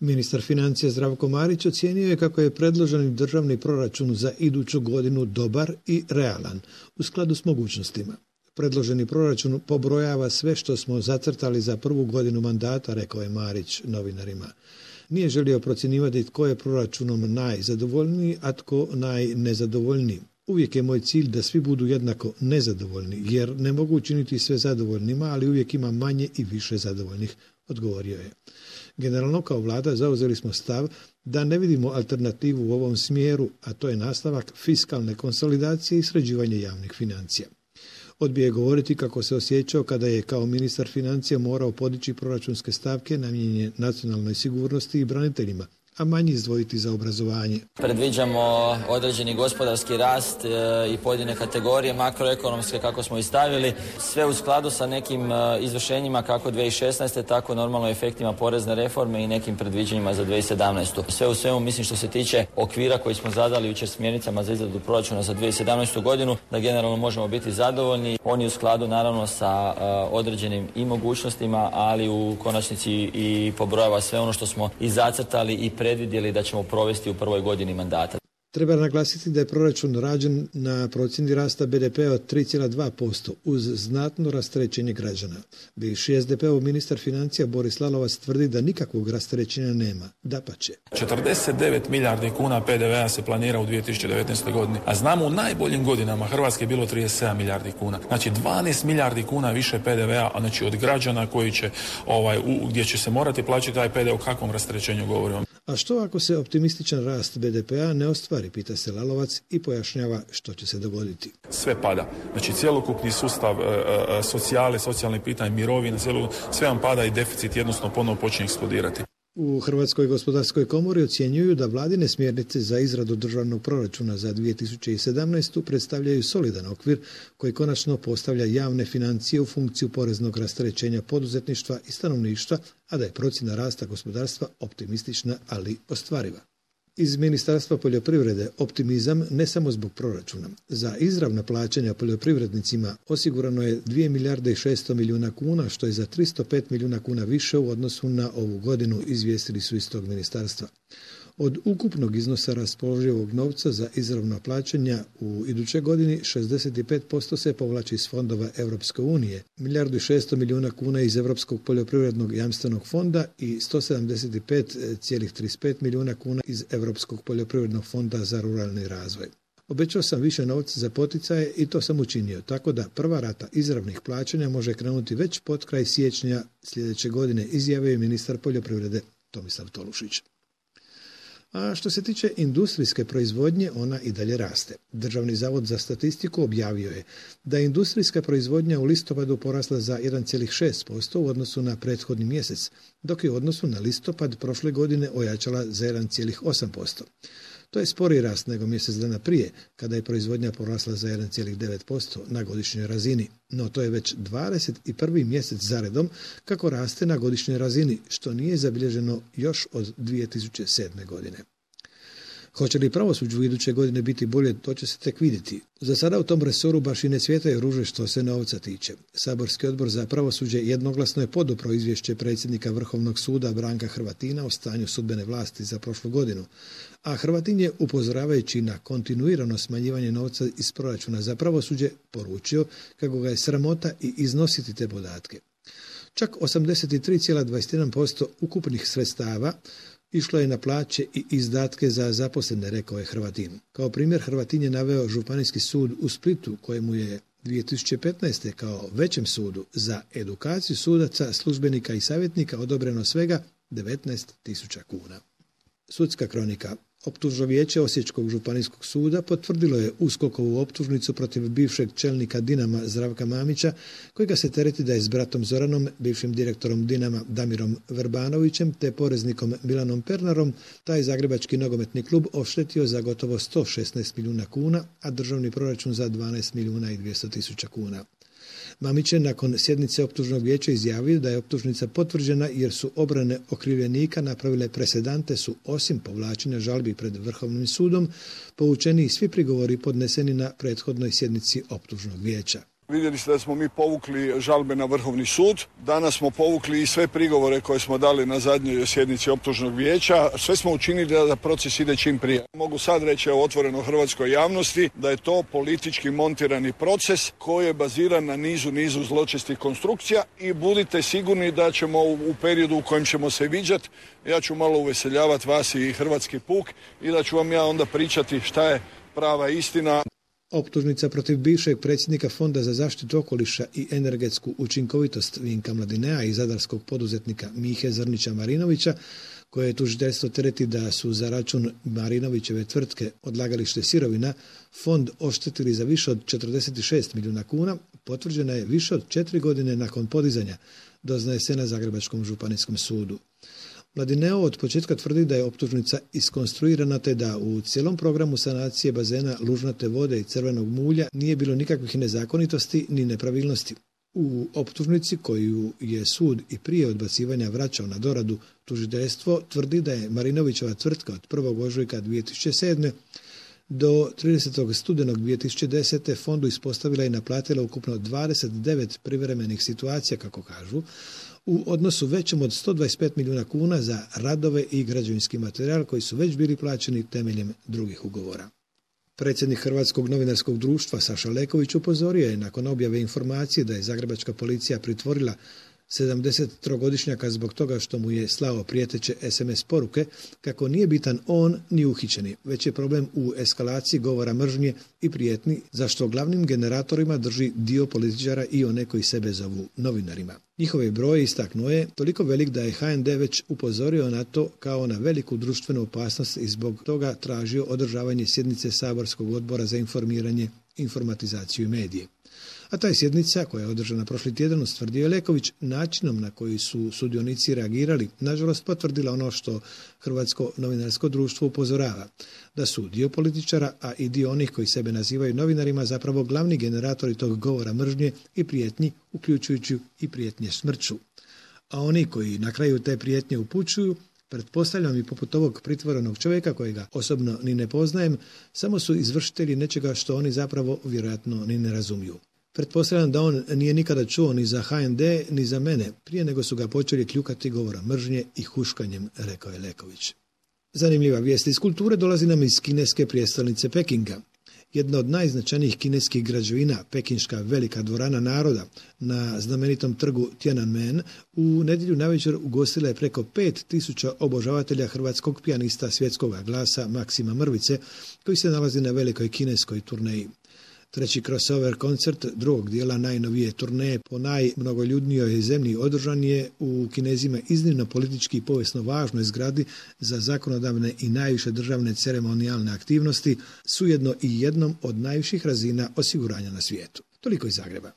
Ministar financija Zdravko Marić ocijenio je kako je predloženi državni proračun za iduću godinu dobar i realan, u skladu s mogućnostima. Predloženi proračun pobrojava sve što smo zacrtali za prvu godinu mandata, rekao je Marić novinarima. Nije želio procjenjivati tko je proračunom najzadovoljniji, a tko najnezadovoljniji. Uvijek je moj cilj da svi budu jednako nezadovoljni, jer ne mogu učiniti sve zadovoljnima, ali uvijek ima manje i više zadovoljnih, odgovorio je. Generalno kao vlada zauzeli smo stav da ne vidimo alternativu u ovom smjeru, a to je nastavak fiskalne konsolidacije i sređivanje javnih financija. Odbio je govoriti kako se osjećao kada je kao ministar financija morao podići proračunske stavke namijenjene nacionalnoj sigurnosti i braniteljima, a manje izdvojiti za obrazovanje. Predviđamo određeni gospodarski rast i pojedine kategorije makroekonomske kako smo i stavili, sve u skladu sa nekim izvršenjima kako 2016. tako normalno efektima porezne reforme i nekim predviđanjima za 2017. Sve u svemu mislim što se tiče okvira koji smo zadali jučer smjernicama za izradu proračuna za 2017. godinu, da generalno možemo biti zadovoljni. On je u skladu naravno sa određenim i mogućnostima, ali u konačnici i pobrojava sve ono što smo i zacrtali i predvidjeli da ćemo provesti u prvoj godini mandata. Treba naglasiti da je proračun rađen na procjeni rasta BDP-a od 3,2% uz znatno rasterećenje građana. Bivši SDP-ov ministar financija Boris Lalovac tvrdi da nikakvog rasterećenja nema, dapače. 49 milijardi kuna PDV-a se planira u 2019. godini, a znamo u najboljim godinama Hrvatske je bilo 37 milijardi kuna. Znači 12 milijardi kuna više PDV-a, a znači od građana koji će, gdje će se morati plaćati taj PDV, o kakvom rasterećenju govorimo. A što ako se optimističan rast BDP-a ne ostvari, pita se Lalovac i pojašnjava što će se dogoditi. Sve pada. Znači cjelokupni sustav socijalnih pitanja, mirovina, sve vam pada i deficit jednostavno ponovno počinje eksplodirati. U Hrvatskoj gospodarskoj komori ocjenjuju da vladine smjernice za izradu državnog proračuna za 2017. predstavljaju solidan okvir koji konačno postavlja javne financije u funkciju poreznog rasterećenja poduzetništva i stanovništva, a da je procjena rasta gospodarstva optimistična, ali ostvariva. Iz Ministarstva poljoprivrede optimizam ne samo zbog proračuna. Za izravna plaćanja poljoprivrednicima osigurano je 2 milijarde i 600 milijuna kuna, što je za 305 milijuna kuna više u odnosu na ovu godinu, izvijestili su iz tog ministarstva. Od ukupnog iznosa raspoloživog novca za izravna plaćanja u idućoj godini 65% se povlači iz fondova Europske unije, 1 milijardu i 600 milijuna kuna iz Europskog poljoprivrednog jamstvenog fonda i 175,35 milijuna kuna iz Europskog poljoprivrednog fonda za ruralni razvoj. Obećao sam više novca za poticaje i to sam učinio, tako da prva rata izravnih plaćanja može krenuti već pod kraj siječnja sljedeće godine, izjavio je ministar poljoprivrede Tomislav Tolušić. A što se tiče industrijske proizvodnje, ona i dalje raste. Državni zavod za statistiku objavio je da je industrijska proizvodnja u listopadu porasla za 1,6% u odnosu na prethodni mjesec, dok je u odnosu na listopad prošle godine ojačala za 1,8%. To je sporiji rast nego mjesec dana prije, kada je proizvodnja porasla za 1,9% na godišnjoj razini. No to je već 21. mjesec zaredom kako raste na godišnjoj razini, što nije zabilježeno još od 2007. godine. Hoće li pravosuđe u iduće godine biti bolje, to će se tek vidjeti. Za sada u tom resoru baš i ne svjetaju ruže što se novca tiče. Saborski odbor za pravosuđe jednoglasno je podupro izvješće predsjednika Vrhovnog suda Branka Hrvatina o stanju sudbene vlasti za prošlu godinu. A Hrvatin je, upozoravajući na kontinuirano smanjivanje novca iz proračuna za pravosuđe, poručio kako ga je sramota i iznositi te podatke. Čak 83,21% ukupnih sredstava išlo je na plaće i izdatke za zaposlene, rekao je Hrvatin. Kao primjer Hrvatin je naveo Županijski sud u Splitu, kojemu je 2015. kao većem sudu za edukaciju sudaca, službenika i savjetnika odobreno svega 19.000 kuna. Sudska kronika. Optužno vijeće Osječkog županijskog suda potvrdilo je USKOK-ovu optužnicu protiv bivšeg čelnika Dinama Zdravka Mamića, kojega se tereti da je s bratom Zoranom, bivšim direktorom Dinama Damirom Verbanovićem te poreznikom Milanom Pernarom taj zagrebački nogometni klub oštetio za gotovo 116 milijuna kuna, a državni proračun za 12 milijuna i 200 tisuća kuna. Mamić je nakon sjednice optužnog vijeća izjavio da je optužnica potvrđena jer su obrane okrivljenika napravile presedante su osim povlačenja žalbi pred Vrhovnim sudom povučeni i svi prigovori podneseni na prethodnoj sjednici optužnog vijeća. Vidjeli ste da smo mi povukli žalbe na Vrhovni sud. Danas smo povukli i sve prigovore koje smo dali na zadnjoj sjednici optužnog vijeća. Sve smo učinili da proces ide čim prije. Mogu sad reći otvoreno hrvatskoj javnosti da je to politički montirani proces koji je baziran na nizu zločestih konstrukcija i budite sigurni da ćemo u periodu u kojem ćemo se viđati, ja ću malo uveseljavati vas i hrvatski puk i da ću vam ja onda pričati šta je prava istina. Optužnica protiv bivšeg predsjednika Fonda za zaštitu okoliša i energetsku učinkovitost Vinka Mladinea i zadarskog poduzetnika Mihe Zrnića Marinovića, koje tužiteljstvo tereti da su za račun Marinovićeve tvrtke Odlagalište sirovina fond oštetili za više od 46 milijuna kuna, potvrđena je više od 4 godine nakon podizanja, doznaje se na Zagrebačkom županijskom sudu. Mladineo od početka tvrdi da je optužnica iskonstruirana te da u cijelom programu sanacije bazena lužnate vode i crvenog mulja nije bilo nikakvih nezakonitosti ni nepravilnosti. U optužnici koju je sud i prije odbacivanja vraćao na doradu, tužiteljstvo tvrdi da je Marinovićeva tvrtka od 1. ožujka 2007. do 30. studenog 2010. fondu ispostavila i naplatila ukupno 29 privremenih situacija, kako kažu, u odnosu većem od 125 milijuna kuna za radove i građevinski materijal koji su već bili plaćeni temeljem drugih ugovora. Predsjednik Hrvatskog novinarskog društva Saša Leković upozorio je nakon objave informacije da je zagrebačka policija pritvorila 73-godišnjaka zbog toga što mu je slao prijeteće SMS poruke kako nije bitan on ni uhićeni, već je problem u eskalaciji govora mržnje i prijetnji, zašto glavnim generatorima drži dio političara i one koji sebe zovu novinarima. Njihove broj, istaknuo je, toliko velik da je HND već upozorio na to kao na veliku društvenu opasnost i zbog toga tražio održavanje sjednice Saborskog odbora za informiranje, informatizaciju i medije. A ta je sjednica, koja je održana prošli tjedan, ustvrdio je Leković, načinom na koji su sudionici reagirali, nažalost potvrdila ono što Hrvatsko novinarsko društvo upozorava, da su dio političara, a i dio onih koji sebe nazivaju novinarima, zapravo glavni generatori tog govora mržnje i prijetnji, uključujući i prijetnje smrću. A oni koji na kraju te prijetnje upućuju, pretpostavljam i poput ovog pritvorenog čovjeka kojega osobno ni ne poznajem, samo su izvršitelji nečega što oni zapravo vjerojatno ni ne razumiju. Pretpostavljam da on nije nikada čuo ni za HND, ni za mene, prije nego su ga počeli kljukati govora mržnje i huškanjem, rekao je Leković. Zanimljiva vijest iz kulture dolazi nam iz kineske prijestolnice Pekinga. Jedna od najznačajnijih kineskih građevina, pekinška velika dvorana naroda na znamenitom trgu Tiananmen, u nedjelju navečer ugostila je preko 5000 obožavatelja hrvatskog pijanista svjetskog glasa Maksima Mrvice, koji se nalazi na velikoj kineskoj turneji. Treći crossover koncert drugog dijela najnovije turneje po najmnogoljudnijoj zemlji održan je u Kinezima iznimno politički i povijesno važnoj zgradi za zakonodavne i najviše državne ceremonijalne aktivnosti, s ujedno i jednom od najviših razina osiguranja na svijetu. Toliko iz Zagreba.